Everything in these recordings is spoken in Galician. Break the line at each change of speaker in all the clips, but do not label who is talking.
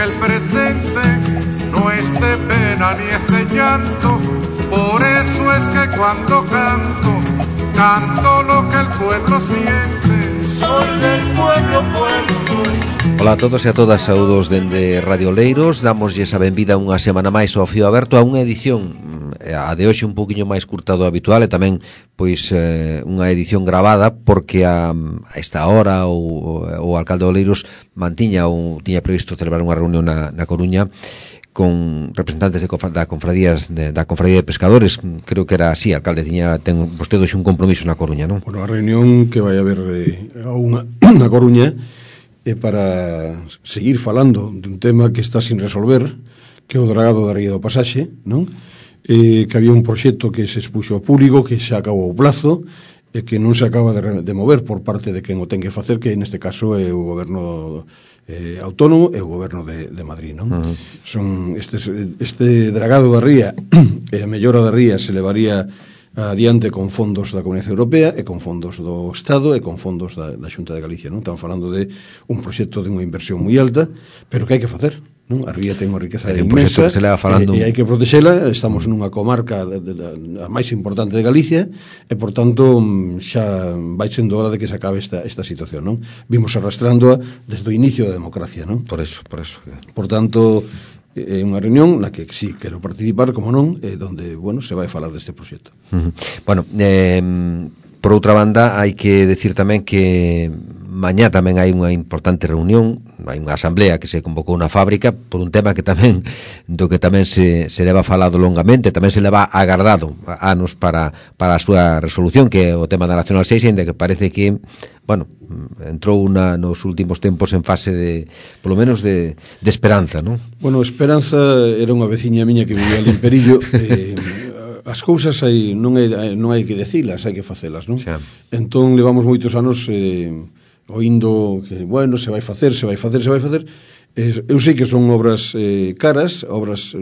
que el presente no es de pena ni es de llanto. Por eso es que cuando canto, canto lo que el pueblo siente. Soy del pueblo, pueblo soy.
Ola a todos e a todas, saúdos dende Radio Oleiros. Damoslle a benvida unha semana máis ao Fío Aberto, a unha edición, a de hoxe un poquinho máis curta do habitual, e tamén pois unha edición gravada, porque a esta hora o alcalde de Oleiros tiña previsto celebrar unha reunión na Coruña con representantes da Confradía de Pescadores. Creo que era así, alcalde, ten vostede hoxe un compromiso na Coruña, non?
Bueno, a reunión que vai haber na Coruña é para seguir falando dun tema que está sin resolver, que é o dragado da ría do Pasaxe, non? Que había un proxecto que se expuxo ao público, que xa acabou o plazo, e que non se acaba de mover por parte de quen o ten que facer, que neste caso é o goberno autónomo e o goberno de Madrid, non? Son este dragado da ría e a mellora da ría se levaría adiante con fondos da Comunidade Europea e con fondos do Estado e con fondos da Xunta de Galicia, non? Estamos falando de un proxecto de unha inversión moi alta, pero que hai que facer, non? A ría ten unha riqueza inmensa e hai que protexela. Estamos nunha comarca a máis importante de Galicia e, por tanto, xa vai sendo hora de que se acabe esta situación, non? Vimos arrastrándoa desde o inicio da democracia, non?
Por eso.
Por tanto, é unha reunión na que sí quero participar, como non, donde, bueno, se vai falar deste proxecto.
Bueno, por outra banda, hai que decir tamén que mañá tamén hai unha importante reunión, hai unha asamblea que se convocou na fábrica por un tema que tamén se leva falado longamente, tamén se leva agardado anos para a súa resolución, que é o tema da Nacional 6, ainda que parece que, bueno, entrou nos últimos tempos en fase de, polo menos, de esperanza, non?
Bueno, Esperanza era unha veciña miña que vivía ali en Perillo. As cousas non hai que decilas, hai que facelas, non?
Xa.
Entón levamos moitos anos oindo que, bueno, se vai facer. Eu sei que son obras caras, obras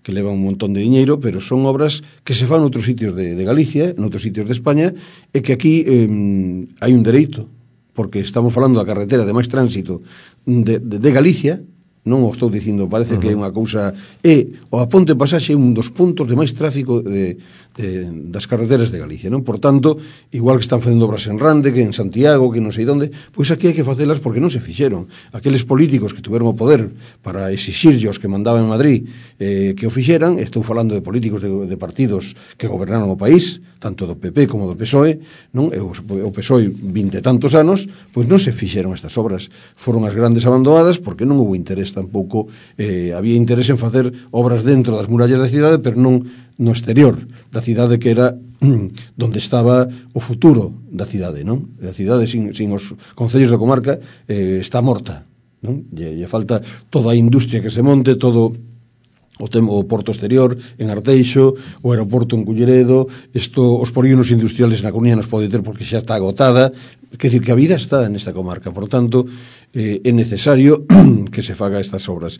que levan un montón de diñeiro, pero son obras que se fan noutros sitios de Galicia, noutros sitios de España, e que aquí hai un dereito, porque estamos falando da carretera de máis tránsito de Galicia. Non o estou dicindo, parece que é unha cousa. A Ponte Pasaxe é un dos puntos de máis tráfico das carreteras de Galicia, non? Por tanto, igual que están facendo obras en Rande, que en Santiago, que non sei onde, pois aquí hai que facelas porque non se fixeron. Aqueles políticos que tuveron o poder para exixirllos que mandaban en Madrid que o fixeran, estou falando de políticos de partidos que gobernaron o país, tanto do PP como do PSOE, non? O PSOE 20 e tantos anos, pois non se fixeron estas obras. Foron as grandes abandonadas porque non houve interés tampouco. Había interés en facer obras dentro das murallas da cidade, pero non no exterior da cidade, que era donde estaba o futuro da cidade, non? A cidade sin os concellos da comarca está morta, non? Lle falta toda a industria que se monte, todo o porto exterior en Arteixo, o aeroporto en Culleredo, os polígonos industriales na Coruña nos pode ter porque xa está agotada. Quer dicir que a vida está nesta comarca, por tanto é necesario que se faga estas obras.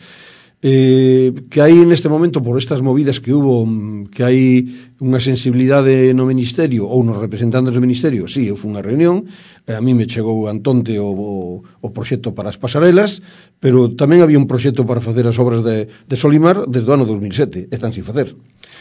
Que hai neste momento, por estas movidas que hubo, que hai unha sensibilidade no Ministerio ou nos representantes do Ministerio. Sí, eu fui unha reunión, a mí me chegou antonte o proxecto para as pasarelas, pero tamén había un proxecto para facer as obras de Solimar desde o ano 2007, están sin facer.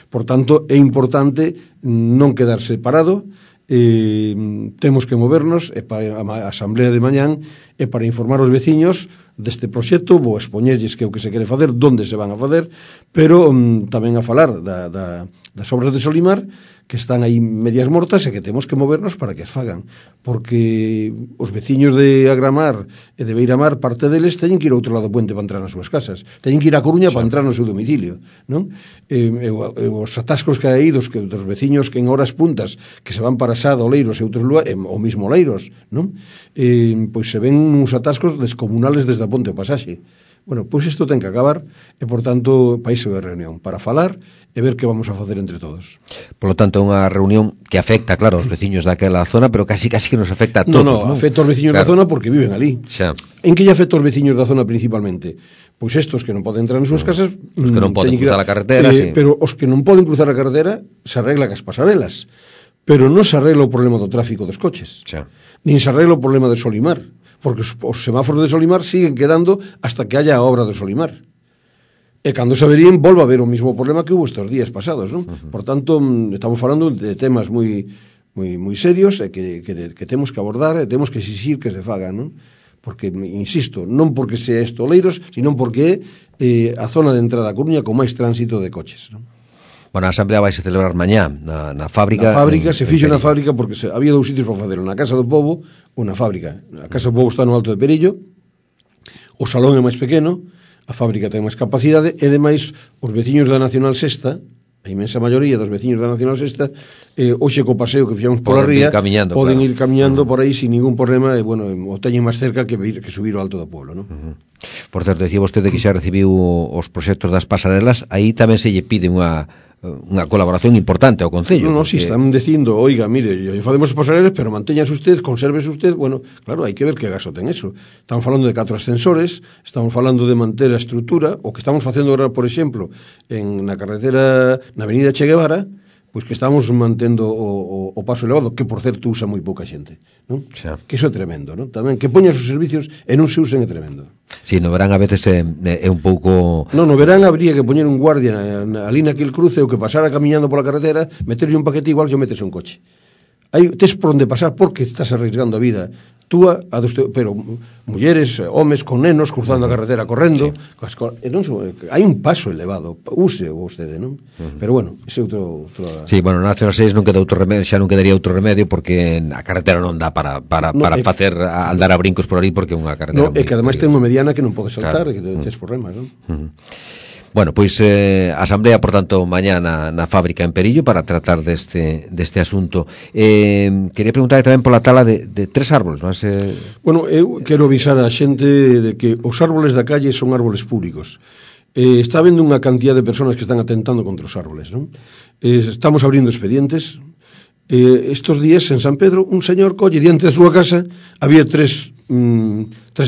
Por tanto, é importante non quedarse parado. Temos que movernos, e para a asamblea de mañán e para informar os veciños deste proxecto. Vou expoñerlles que é o que se quere facer, donde se van a facer, pero tamén a falar das obras de Solimar, que están aí medias mortas e que temos que movernos para que as fagan, porque os veciños de Agramar e de Beiramar, parte deles teñen que ir ao outro lado do puente para entrar nas súas casas, teñen que ir a Coruña para entrar no seu domicilio, non? Os atascos que hai dos veciños que en horas puntas que se van para Sada, Oleiros e outros lugares, o mismo Oleiros, non? Pois se ven uns atascos descomunales desde a Ponte ao Pasaxe. Bueno, pois isto ten que acabar e, por tanto, país de reunión para falar e ver que vamos a facer entre todos.
Por lo tanto, é unha reunión que afecta, claro, aos veciños daquela zona, pero casi que nos afecta a todos.
Non, afecta aos veciños da zona porque viven ali.
Xa.
En que lle afecta aos veciños da zona principalmente? Pois estos que non poden entrar nas súas casas,
os que non poden cruzar a carretera, sí.
Pero os que non poden cruzar a carretera se arregla cas pasarelas, pero non se arregla o problema do tráfico dos coches.
Xa.
Nin se arregla o problema de Solimar, porque os semáforos de Solimar siguen quedando hasta que haya a obra de Solimar. E cando se averían, volva a haber o mismo problema que hubo estes días pasados, non? Por tanto, estamos falando de temas moi serios e que temos que abordar e temos que exigir que se fagan, non? Porque, insisto, non porque sea isto Oleiros, sino porque é a zona de entrada a Coruña con máis tránsito de coches, non?
Bueno, a Asamblea vai se celebrar mañá na fábrica.
Na fábrica, se fixo na fábrica porque había dous sitios para facelo, na Casa do Pobo ou na fábrica. A Casa do Pobo está no Alto de Perillo, o salón é máis pequeno, a fábrica ten máis capacidade e, demais, os veciños da Nacional Sexta, a inmensa maioría dos veciños da Nacional Sexta, hoxe co paseo que fixamos pola ría, poden ir camiñando por aí sin ningún problema e, bueno, o teñen máis cerca que subir ao Alto do Pueblo, non?
Por certo, decía vostede que xa recibiu os proxectos das pasarelas, aí tamén se lle pide unha colaboración importante ao Concello.
No, si están dicindo, oiga, mire, facemos as pasarelas, pero mantéñase usted, consérvese usted. Bueno, claro, hai que ver que gasto ten eso. Estamos falando de 4 ascensores, estamos falando de manter a estrutura, o que estamos facendo agora, por exemplo, na carretera, na avenida Che Guevara, pois que estamos mantendo o paso elevado, que, por certo, usa moi pouca xente, non? Xa. Que iso é tremendo, non? Tamén, que poñan os servicios e non se usen é tremendo.
Si, no verán a veces é un pouco...
No verán habría que poñer un guardia ali naquele cruce, o que pasara camiñando pola carretera, meterlle un paquete igual que meterse un coche. Tes por onde pasar porque estás arriesgando a vida túa, pero mulleres, homes con nenos cruzando a carretera correndo, hai un paso elevado, use vostede, non? Pero bueno, ese é outro...
Sí, bueno, na Nacional 6 non queda outro remedio, xa non quedaría outro remedio porque a carretera non dá para facer andar a brincos por ali porque é unha carretera...
É que ademais ten unha mediana que non pode saltar, que tes problemas, non?
Bueno, pois a Asamblea, por tanto, mañá na fábrica en Perillo para tratar deste asunto. Quería preguntar tamén pola tala de 3 árboles, non?
Bueno, eu quero avisar a xente de que os árboles da calle son árboles públicos. Está habendo unha cantidad de personas que están atentando contra os árboles, non? Estamos abrindo expedientes. Estos días en San Pedro, un señor colle diante da súa casa, había 3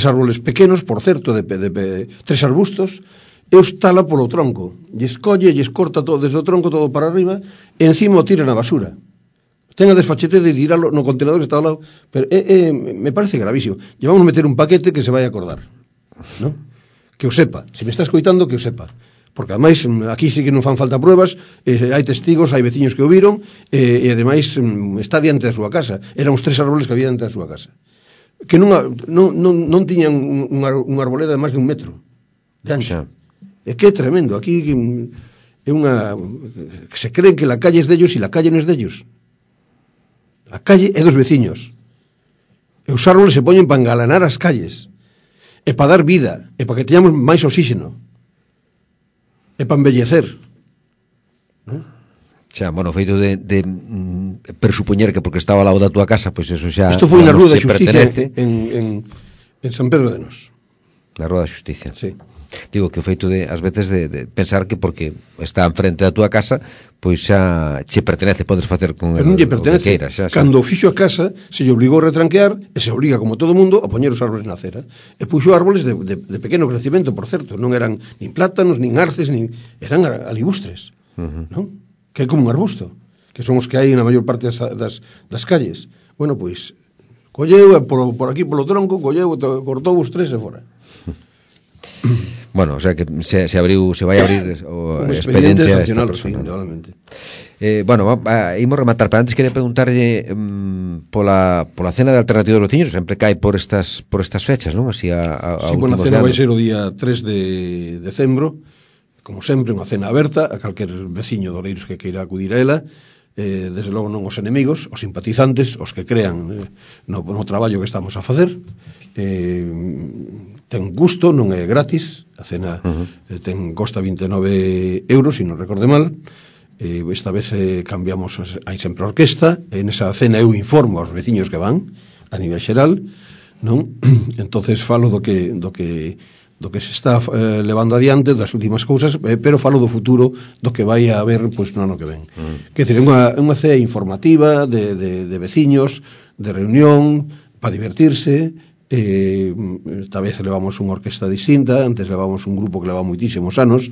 árboles pequenos, por certo, de 3 arbustos, e os tala polo tronco, lles colle, lles corta todo desde o tronco todo para arriba e encima o tira na basura. Ten a desfachete de tiralo no contenedor que está ao lado, pero me parece gravísimo. Llevamos a meter un paquete que se vai a acordar, ¿no? Que o sepa, se me está escoitando, que o sepa, porque ademais aquí sí que non fan falta pruebas, hai testigos, hai veciños que o viron e ademais está diante da súa casa. Eran os 3 árboles que había diante da súa casa, que non tiñan unha arboleda de máis de 1 metro de ancho. É que é tremendo, aquí é unha... que se creen que la calle es dellos e la calle non es dellos. A calle é dos veciños. E os árboles se poñen para engalanar as calles, e para dar vida, e para que teñamos máis oxígeno, e para embellecer, non?
Xa, bueno, feito de presupoñer que porque estaba ao lado da túa casa, pois eso xa...
Isto foi na Rúa da Xusticia en San Pedro de Nos.
Na Rúa da Xusticia.
Sí.
Digo que o feito de, ás veces, de pensar que porque está en frente da túa casa, pois xa che pertenece, podes facer con el,
non lle pertenece.
O que queiras.
Cando fixo a casa, se lle obligou a retranquear, e se obliga, como todo mundo, a poñer os árboles na acera. E puxo árboles de pequeno crecimento, por certo. Non eran nin plátanos, nin arces, eran alibustres, non? Que é como un arbusto, que son os que hai na maior parte das calles. Bueno, pois, colleu, por aquí, polo tronco, colleu, cortou os 3 e fora.
Bueno, o sea que se vai abrir o expediente a esta persona. Bueno, imos rematar, pero antes quería preguntarlle pola cena de alternativa dos veciños, sempre cae por estas fechas, non? Así
sí, bueno, a cena vai ser o día 3 de decembro, como sempre, unha cena aberta a calquer veciño de Oleiros que queira acudir a ela, desde logo non os enemigos, os simpatizantes, os que crean no traballo que estamos a facer. Ten gusto, non é gratis, a cena costa 29 euros, se non recorde mal. Esta vez cambiamos, hai sempre orquesta, e nesa cena eu informo aos veciños que van a nivel xeral, non? Entonces falo do que se está levando adiante, das últimas cousas, pero falo do futuro, do que vai a haber pois no ano que ven. Que é unha cea informativa de veciños, de reunión, para divertirse. Esta vez levamos unha orquesta distinta, antes levamos un grupo que leva moitísimos anos,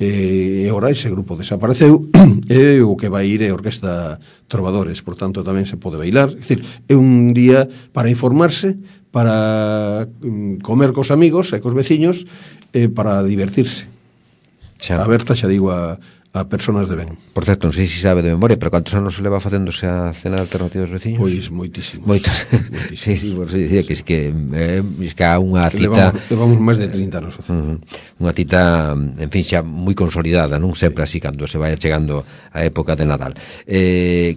e ora ese grupo desapareceu e o que vai ir é a Orquesta Trovadores, por tanto tamén se pode bailar. É dicir, é un día para informarse, para comer cos amigos e cos veciños e para divertirse. Aberta, xa digo, a personas de ben.
Por certo, non sei se sabe de memoria, pero cantos anos se leva facéndose a cena alternativa dos veciños?
Pois moitísimos.
Sí, por si dicía que há unha cita...
Levamos máis de 30 anos facendo.
Unha cita, en fin, xa moi consolidada, non sempre así, cando se vai chegando a época de Nadal.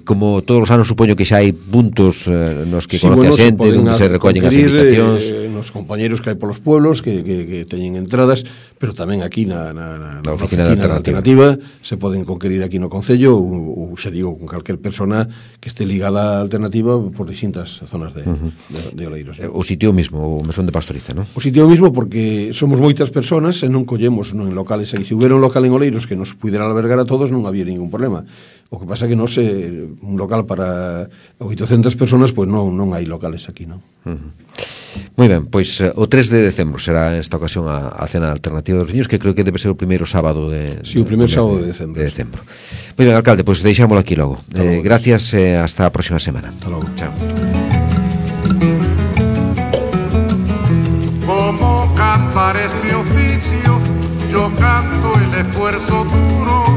Como todos os anos, supoño que xa hai puntos nos que conoce a xente, onde se recollen as invitacións.
Nos compañeros que hai polos pueblos, que teñen entradas, pero tamén aquí na oficina alternativa se poden conquerir aquí no Concello ou xa digo, con calquer persona que este ligada á alternativa por distintas zonas de Oleiros.
O sitio mismo, o mesón de Pastoriza, non?
O sitio mismo porque somos moitas personas e non collemos en locales aquí. Se hubiera un local en Oleiros que nos pudera albergar a todos non había ningún problema. O que pasa que non sei, un local para 800 personas, pois non hai locales aquí, non?
Moi ben, pois o 3 de decembro será esta ocasión a cena alternativa dos niños, que creo que debe ser o primeiro sábado de...
Sí, o primeiro sábado de decembro.
Moi ben, alcalde, pois deixámoslo aquí logo. Gracias, hasta a próxima semana.
Hasta logo.
Chao.
Como cantar es mi oficio, yo canto el esfuerzo duro